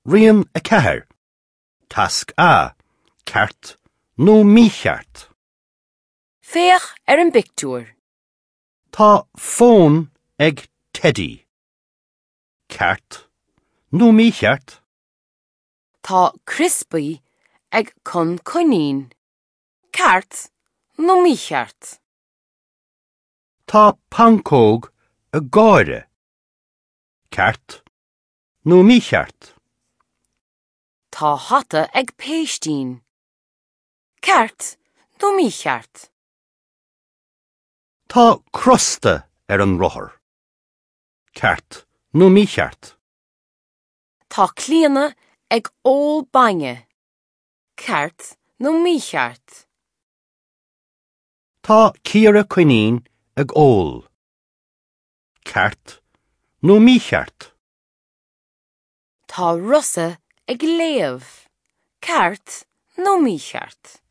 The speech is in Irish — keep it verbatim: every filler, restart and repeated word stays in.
Rian a ceathair. Tasc A, ceart nó mícheart. Féach ar an bpictiúr. Tá fón ag Teddy. Ceart nó mícheart? Tá criospaí ag Con Coinín. Ceart nó mícheart? Tá pancóg ag Gáire. Ceart nó mícheart? Tá hata ag Péistín. Ceart nó mícheart? Tá crosta ar an rothar. Ceart nó mícheart? Tá Clíona ag ól bainne. Ceart nó mícheart? Tá Ciara Coinín ag ól. Ceart nó mícheart? Tá Rosa ag léamh. Ceart nó mícheart?